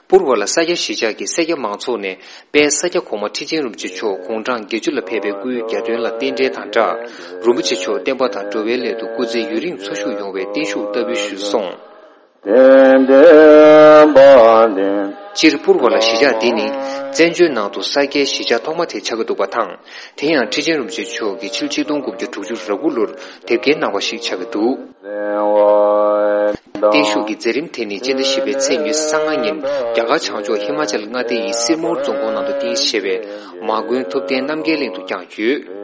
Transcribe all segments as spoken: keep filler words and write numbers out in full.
པུར་བ་ལ་ས་སྐྱ་གཞིས་ཆགས་ཀྱི་སེར་སྐྱ་མང་ཚོགས་ནས་དཔལ་ས་སྐྱ་གོང་མ་ཁྲི་ཆེན་རིན་པོ་ཆེ་མཆོག་དགུང་གྲངས་བརྒྱད་ཅུ་ལ་ཕེབས་པའི་སྐུའི་གྱ་སྟོན་ལ་རྟེན་འབྲེལ་དང་སྦྲགས། རིན་པོ་ཆེ་མཆོག་བསྟན་པ་དང་འགྲོ་བའི་སླད་དུ་སྐུ་ཚེ་ཡུན་རིང་འཚོ་བཞུགས་ཡོང་བའི་བརྟན་བཞུགས་ལྟ་བུ་ཞུས་སོང་། སྤྱིར་པུར་བ་ལ་གཞིས་ཆགས་འདི་ནི་བཙན་བྱོལ་ནང་དུ་ས་སྐྱའི་གཞིས་ཆགས་ཐོག་མ་དེ་ཆགས་ཀྱི་འདུག་པ་དང་། དེ་ཡང་ཁྲི་ཆེན་རིན་པོ་ཆེ་མཆོག་གིས་ཕྱི་ལོ་ཆིག་སྟོང་དགུ་བརྒྱ་དྲུག་ཅུ་རེ་དགུ་ལོར་དེབ་སྐྱེལ་གནང་བ་ཞིག་ཆགས་ཀྱི་འདུག་བརྟན་བཞུགས་ཀྱི་མཛད་རིམ་དེ་ནི་སྤྱི་ཟླ་བཞི་པའི་ཚེས་ཉི་ཤུ་རྩ་ལྔ་ཉིན་རྒྱ་གར་བྱང་ཕྱོགས་ཧི་མ་ཅལ་མངའ་སྡེ་ཡི་སིར་མོར་རྫོང་ཁོངས་ནང་དུ་རྟེན་གཞི་བྱས་པའི་མ་དགོན་ཐུབ་བསྟན་རྣམ་རྒྱལ་གླིང་དུ་བསྐྱངས་ཡོད།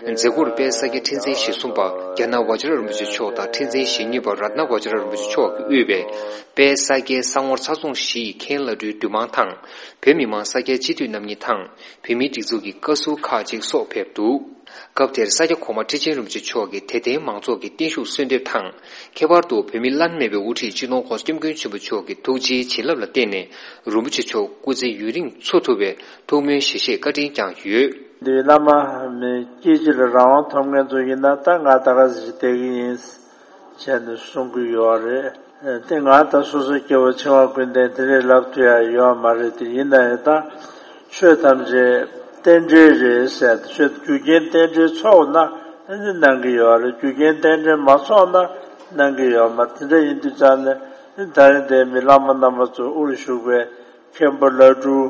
མཛད་སྒོར་དཔལ་ས་སྐྱ་ཁྲི་འཛིན་ཞེ་གསུམ་པ་རྒྱ་ནག་ཝ་ཇ་ར་རིན་པོ་ཆེ་མཆོག་དང་ཁྲི་འཛིན་ཞེ་གཉིས་པ་རཏྣ་ཝ་ཇ་ར་རིན་པོ་ཆེ་མཆོག་གིས་དབུས་པའི་དཔལ་ས་སྐྱའི་ས་ངོར་ཚྭ་བཙོང་བཞི་ཡི་མཁན་བླ་སྤྲུལ་འདུས་མང་དང་། བོད་མི་མང་ས་སྐྱའི་སྤྱི་འཐུས་རྣམ་གཉིས་དང་། བོད་མིའི་སྒྲིག་འཛུགས་ཀྱི་བཀའ་ཟུར་ཁག་ཅིག་སོགས་ཕེབས་འདུག་སྐབས་དེར་ས་སྐྱ་གོང་མ་ཁྲི་ཆེན་རིན་པོ་ཆེ་མཆོག་གིས་དད་ལྡན་མང་ཚོགས་ཀྱི་བརྟན་བཞུགས་གསོལ་འདེབས་དང་། ཁྱད་པར་དུ་བོད་མི་བླ་ན་མེད་པའི་དབུ་ཁྲིད་སྤྱི་ནོར་༸གོང་ས་༸སྐྱབས་མགོན་ཆེན་པོ་མཆོག་གི་ཐུགས་རྗེའི་བྱིན་རླབས་ལ་བརྟེན་ནས་རིན་པོ་ཆེ་མཆོག་སྐུ་ཚེ་ཡུན་རིང་འཚོ་ཐུབ་པའི་ཐུགས་སྨོན་ཞལ་བཞེས་བཀའ་དྲིན་བསྐྱངས་ཡོད། འདི་བླ་མ་མི་སྐྱེ་འཆི་ལ་རང་དབང་ཐོབ་མཁན་ཚོ་ཡིན་ན་ད་ང་ད་ག་ཟིག་བསྡད་ཀྱི་ཡིན། བྱས་ནས་གསུང་གི་ཡོད་རེད། དེ་ང་ད་སོ་སོ་སྐྱེ་བོ་འཆིང་བ་ཀུན་ལྡན་དེ་འདྲས་ལབ་ཐུབ་ཡ་ཡོད་མ་རེད། དེ་ཡིན་ན་ཡང་ད་ཆོས་ཐམས་ཅད་རྟེན་འབྲེལ་རེད་ཟེར། ཆོས་རྒྱུ་རྐྱེན་རྟེན་འབྲེལ་ཚོགས་ན་ཨ་ནི་གནང་གི་ཡོད་རེད། རྒྱུ་རྐྱེན་རྟེན་འབྲེལ་མ་ཚོགས་ན་གནང་གི་ཡོད་མ་རེད། དེ་འདྲ་ཡིན་དུས་ཙང་ནས་ད་རིང་འདིར་མི་བླ་མ་རྣམ་པ་ཚོ་དབུར་བཞུགས་པའི་མཁན་པོ་བླ་སྤྲུལ་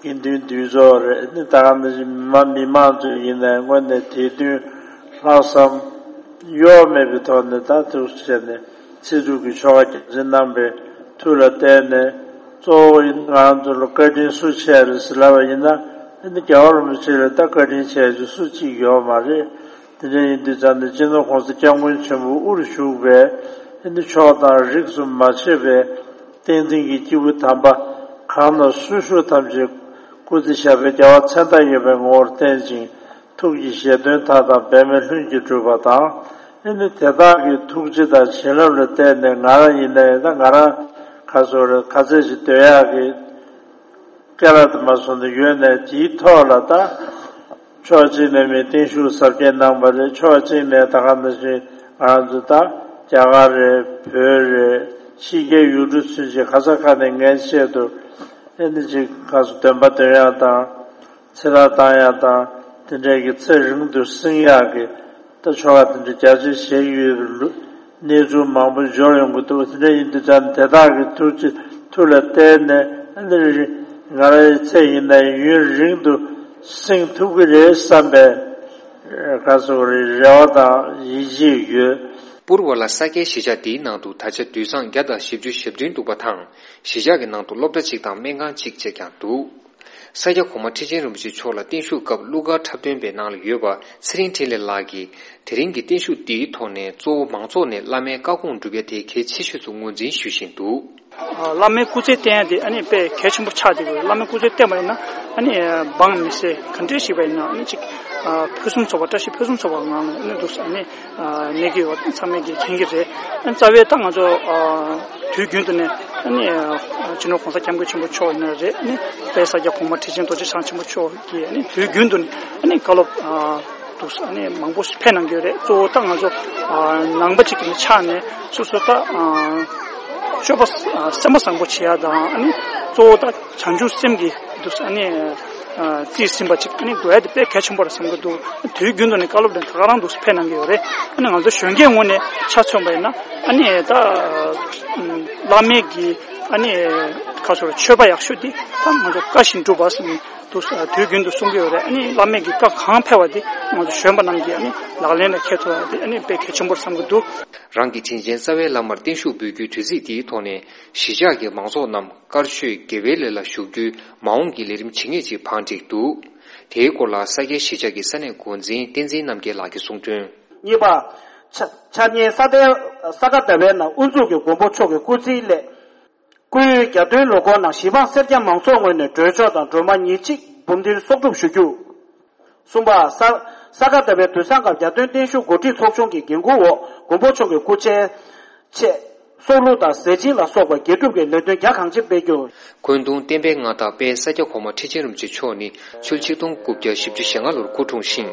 དགེ་འདུན་འདུས་ཚོགས་རེད། ནི་ད་ག་ནང་བཞིན་མི་མང་མི་མང་ཚོ་ཡིན་ནའི་དངོས་གནས་དད་འདུན་ལྷག་བསམ་གཡོ་མེད་པའི་ཐོག་ནས་ད་ཐུགས་བྱས་ནས་ཚེ་སྒྲུབ་ཀྱི་ཆོ་ག་རྒྱ་ཆེན་གནང་པའི་མཐུ་ལ་བརྟེན་ནས་གཙོ་བོ་ཡིན་ང་རང་ཚོ་ལ་བཀའ་དྲིན་སུ་ཆེ་རེད་ཟེར་ལབ་པ་ཡིན་ན་ནི་རྒྱལ་བ་རིན་པོ་ཆེ་ལ་ད་བཀའ་དྲིན་ཆེ་ཆེ་སུ་གཅིག་ཡོད་མ་རེད། དེ་འདྲ་ཡིན་དུས་ཙང་ནས་སྤྱི་ནོར་༸གོང་ས་༸སྐྱབས་མགོན་ཆེན་པོ་དབུར་བཞུགས་པའི་ཨ་ནི་ཕྱོགས་དང་རིགས་སུ་མ་ཆད་པའི་བསྟན་འཛིན་གྱི་སྐྱེས་བུ་དམ་པ་གང་ན་སུ་བཞུགས་ཐམས་ཅད་སྐུ་ཚེ་ཞབས་པད་རྒྱ་བ་མཚན་རྟགས་ཡོད་པའི་ངོ་བོར་བརྟན་ཅིང་ཐུགས་ཀྱི་བཞེད་དོན་མཐའ་དག་འབད་མེད་ལྷུན་གྱིས་གྲུབ་པ་དང་ཨ་ནི་དེ་དག་གི་ཐུགས་རྗེ་དང་བྱིན་རླབས་ལ་བརྟེན་ནས་ང་རང་ཡིན་ནའི་ད་ང་རང་ག་སོ་རེ་ག་ཚད་ཅིག་སྡོད་ཡག་གི་སྐལ་བ་དུ་མ་སོང་དུ་ཡོད་ནས་དེའི་ཐོག་ལ་ད་ཕྱོགས་གཅིག་ནས་མི་བརྟན་བཞུགས་གཟབ་རྒྱས་གནང་པ་རེད། ཕྱོགས་གཅིག་ནས་ད་ག་ནང་བཞིན་ང་རང་ཚོ་ད་རྒྱ་གར་རེད། བོད་རེད། ཕྱི་རྒྱལ་ཡུལ་གྲུ་ཚུན་ཆད་ག་ས་ག་ནས་ངའི་ཆེད་དུ་ཨེ་འདི་ཅིག་ག་སོ་འདོན་པ་འདོན་ཡག་དང་ཚེ་ཐར་བཏང་ཡག་དང་དེ་འདྲའི་གི་ཚེ་རིང་དུ་བསྲིང་ཡག་གི་ད་ཆོ་ག་དེ་འདྲ་རྒྱ་ཆེ་བྱེད་ཀྱི་ཡོད་པའི་ལུ་གནས་ཚུལ་མང་པོ་འབྱོར་ཡོང་གི་འདུག་དེ་འདྲ་ཡིན་དུས་ཙང་དེ་དག་གི་ཐུགས་རྗེ་མཐུ་ལ་བརྟེན་ནས་ཨ་ནི་ང་རའི་ཚེ་ཡིན་ན་ཡུན་རིང་དུ་བསྲིང་ཐུབ་ཀྱི་རེད་བསམ་པའི་ག་སོ་རེ་རེ་བ་དང་ཡིད་ཆེས་ཡོད། པུར་བ་ལ་ས་སྐྱའི་གཞིས་ཆགས་འདིའི་ནང་དུ་ད་ཆ་དུད་ཚང་བརྒྱ་དང་བཞི་བཅུ་ཞེ་བདུན་འདུག་པ་དང་གཞིས་ཆགས་ཀྱི་ནང་དུ་སློབ་གྲྭ་གཅིག་དང་སྨན་ཁང་གཅིག་བཅས་ཀྱང་འདུག་ས་སྐྱ་གོང་མ་ཁྲི་ཆེན་རིན་པོ་ཆེ་མཆོག་ལ་བརྟན་བཞུགས་སྐབས་གླུ་གར་འཁྲབ་སྟོན་པའི་ནང་ལ་ཡོད་པ་ཚེ་རིང་འཕྲིན་ལས་ལགས་ཀྱིས་དེ་རིང་གི་བརྟན་བཞུགས་འདིའི་ཐོག་ནས་གཙོ་བོ་མང་ཚོགས་ནས་བླ་མའི་བཀའ་དགོངས་སྒྲུབ་ཡ་དེ་གལ་ཆེ་ཤོས་སུ་ངོས་འཛིན་ཞུ་བཞིན་འདུག་བླ་མའི་སྐུ་ཚེ་བརྟན་ཡ་དེ་ཨ་ནི་དཔེ་གལ་ཆེན་པོ་ཆགས་བསྡད་ཡོད། བླ་མའི་སྐུ་ཚེ་བརྟན་པ་ཡིན་ན་ཨ་ནི་འབངས་མི་སེར་ག་འདྲས་ཞིག་པ་ཡིན་ན་ཨ་ནི་ཅིག་ཕུན་སུམ་ཚོགས་པ་བཀྲ་ཤིས་ཕུན་སུམ་ཚོགས་པ་ངང་ནས་ཨ་ནི་འདུག་ཨ་ནི་གནས་ཀྱི་ཡོད་ཚང་མས་ཀྱིས་མཁྱེན་གྱི་རེད། རྩ་བའི་ད་ང་ཚོ་དུས་རྒྱུན་དུ་ནས་ཨ་ནི་སྤྱི་ནོར་༸གོང་ས་༸སྐྱབས་མགོན་ཆེན་པོ་མཆོག་ཡིན་ན་རེད། ཨ་ནི་དཔལ་ས་སྐྱ་གོང་མ་ཁྲི་ཆེན་རྡོ་རྗེ་འཆང་ཆེན་པོ་མཆོག་གིས་ཨ་ནི་དུས་རྒྱུན་དུ་ནས་ཨ་ནི་བཀའ་སློབ་འདུག་ཨ་ནི་མང་པོ་ཕེབས་གནང་གི་ཡོད་རེད། གཙོ་བོ་ད་ང་ཚོ་ནང་པ་གཅིག་གི་ཆ་ནས་སོ་སོ་ད་སྤྱོད་པ་སེམས་པ་བཟང་པོ་བྱེད་ཡ་དང་ཨ་ནི་གཙོ་བོ་ད་བྱང་ཆུབ་སེམས་ཀྱི་འདུག་ཨ་ནི། རྩིས་ཟིན་པ་ཅིག་ཨ་ནི་དགོས་ཡ་དེ་དཔེ་གལ་ཆེན་པོ་རེད་བསམ་གྱི་འདུག་དུས་རྒྱུན་དུ་ནས་བཀའ་སློབ་དང་ད་ག་རང་འདུག་ཕེབས་གནང་གི་ཡོད་རེད། ཨ་ནི་ང་ཚོ་གཞོན་སྐྱེས་ངོས་ནས་ཆ་མཚོན་པ་ཡིན་ན་ཨ་ནི་ད་བླ་མའི་གི་ཨ་ནི་ཁ་སོར་མཆོད་པ་ཡག་ཤོས་དེ་ད་ང་ཚོ་བཀའ་བཞིན་སྒྲུབ་པ་ཟེར་ནས་འདུག་དུས་རྒྱུན་དུ་གསུང་གི་ཡོད་རེད། ཨ་ནི་བླ་མའི་གི་བཀའ་གང་ཕེབས་པ་དེ་ང་ཚོ་གཞོན་པ་རྣམས་ཀྱིས་ཨ་ནི་ལག་ལེན་ལ་འཁེལ་ཐུབ་ཡ་དེ་ཨ་ནི་དཔེ་གལ་ཆེན་པོ་རེད་བསམ་གྱི་འདུག་རང་གི་དྲིན་ཆེན་རྩ་བའི་བླ་མར་བརྟན་བཞུགས་འབུལ་རྒྱུའི་དུས་ཚིགས་འདིའི་ཐོག་ནས་གཞིས་ཆགས་ཀྱི་མང་ཚོགས་རྣམས་དཀར་ཆོས་དགེ་བའི་ལས་ལ་ཞུགས་རྒྱུའི་མ་འོངས་ཀྱི་ལས་རིམ་ཇི་སྙེད་ཅིག་བང་བསྒྲིགས་འདུག་དེའི་སྐོར་ལ་ས་སྐྱའི་གཞིས་ཆགས་ཀྱི་ས་གནས་འགོ་འཛིན་བསྟན་འཛིན་རྣམ་རྒྱལ་ལགས་ཀྱིས་གསུངས་དོན། གཉིས་པ། ཆ་འཆར་ཉེའི་ས་གདན་ས་ག་ཟླ་བའི་ནང་དབུ་འཛུགས་ཀྱི་མགོན་པོ་མཆོག་གི་སྐུ་ཚེའི་སླད། སྐུའི་གྱ་སྟོན་ལོ་འཁོར་ནང་གཞིས་འབངས་སེར་སྐྱ་མང་ཚོགས་ངོས་ནས་སྒྲོལ་ཆོག་དང་སྒྲོལ་མ་ཉིན་གཅིག་འབུམ་སྡེར་གསོག་སྒྲུབ་ཞུ་རྒྱུ། གསུམ་པ། ས་ས་ག་ཟླ་བའི་དུས་བཟང་སྐབས་གྱ་སྟོན་བརྟན་བཞུགས་འགོ་ཁྲིད་ཚོགས་ཆུང་གི་འགན་འཁུར་འོག་མགོན་པོ་མཆོག་གི་སྐུ་ཕྱྭའི་ཆེད་སྲོག་བླུ་དང་ཟས་སྦྱིན་ལ་སོགས་པ་དགེ་སྒྲུབ་ཀྱི་ལས་དོན་རྒྱ་གང་ཆེ་སྤེལ་རྒྱུ། འཁོན་གདུང་བསྟན་པའི་མངའ་བདག་དཔལ་ས་སྐྱ་གོང་མ་ཁྲི་ཆེན་རིན་པོ་ཆེ་མཆོག་ནི་ཕྱི་ལོ་ཆིག་སྟོང་དགུ་བརྒྱ་བཞི་བཅུ་ཞེ་ལྔ་ལོར་སྐུ་འཁྲུངས་ཤིང་།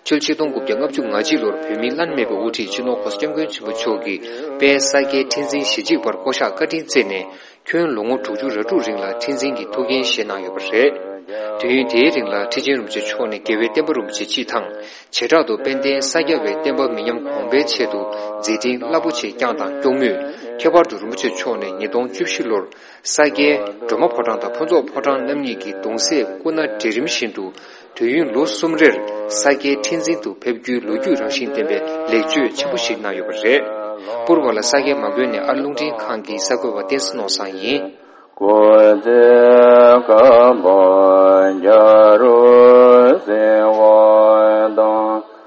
ཕྱི་ལོ་ཆིག་སྟོང་དགུ་བརྒྱ་ལྔ་བཅུ་ང་གཅིག་ལོར་བོད་མིའི་བླ་ན་མེད་པའི་དབུ་ཁྲིད་སྤྱི་ནོར་༸གོང་ས་༸སྐྱབས་མགོན་ཆེན་པོ་མཆོག་གིས་དཔལ་ས་སྐྱའི་ཁྲི་འཛིན་ཞེ་གཅིག་པར་བསྐོ་གཞག་བཀའ་དྲིན་བསྩལ་ནས། ཁྱོན་ལོ་ངོ་དྲུག་ཅུ་རེ་དྲུག་རིང་ལ་ཁྲི་འཛིན་གྱི་ཐུགས་འགན་བཞེས་གནང་ཡོད་པ་རེད། དུས་ཡུན་དེའི་རིང་ལ་ཁྲི་ཆེན་རིན་པོ་ཆེ་མཆོག་ནས་རྒྱལ་བའི་བསྟན་པ་རིན་པོ་ཆེ་སྤྱི་དང་། བྱེ་བྲག་ཏུ་དཔལ་ལྡན་ས་སྐྱ་པའི་བསྟན་པ་མི་ཉམས་གོང་འཕེལ་ཆེད་དུ་མཛད་འཕྲིན་རླབས་པོ་ཆེ་བསྐྱངས་དང་སྐྱོང་མུས། ཁྱད་པར་དུ་རིན་པོ་ཆེ་མཆོག་ནས་ཉིས་སྟོང་བཅུ་བཞི་ལོར་ས་སྐྱའི་སྒྲོལ་མ་ཕོ་བྲང་དང་ཕུན་ཚོགས་ཕོ་བྲང་རྣམ་གཉིས་ཀྱི་གདུང་སྲས་སྐུ་ན་གྲལ་རིམ་བཞིན་དུ་དུས་ཡུན་ལོ་གསུམ་རེར་ས་སྐྱའི་ཁྲི་འཛིན་དུ་ཕེབས་རྒྱུའི་ལོ་རྒྱུས་རང་བཞིན་ལྡན་པའི་ལེགས་བཅོས་ཆེན་པོ་ཞིག་གནང་ཡོད་པ་རེད། པུར་བ་ལ་ས་སྐྱའི་མ་དགོན་ནས་ཨར་རླུང་འཕྲིན་ཁང་གི་གསར་འགོད་པ་བསྟན་འཛིན་ནོར་བཟང་ཡིན། སྐུ་ཚེ་བསྐལ་པ་བརྒྱ་རུ་བསྲིང་བ་དང་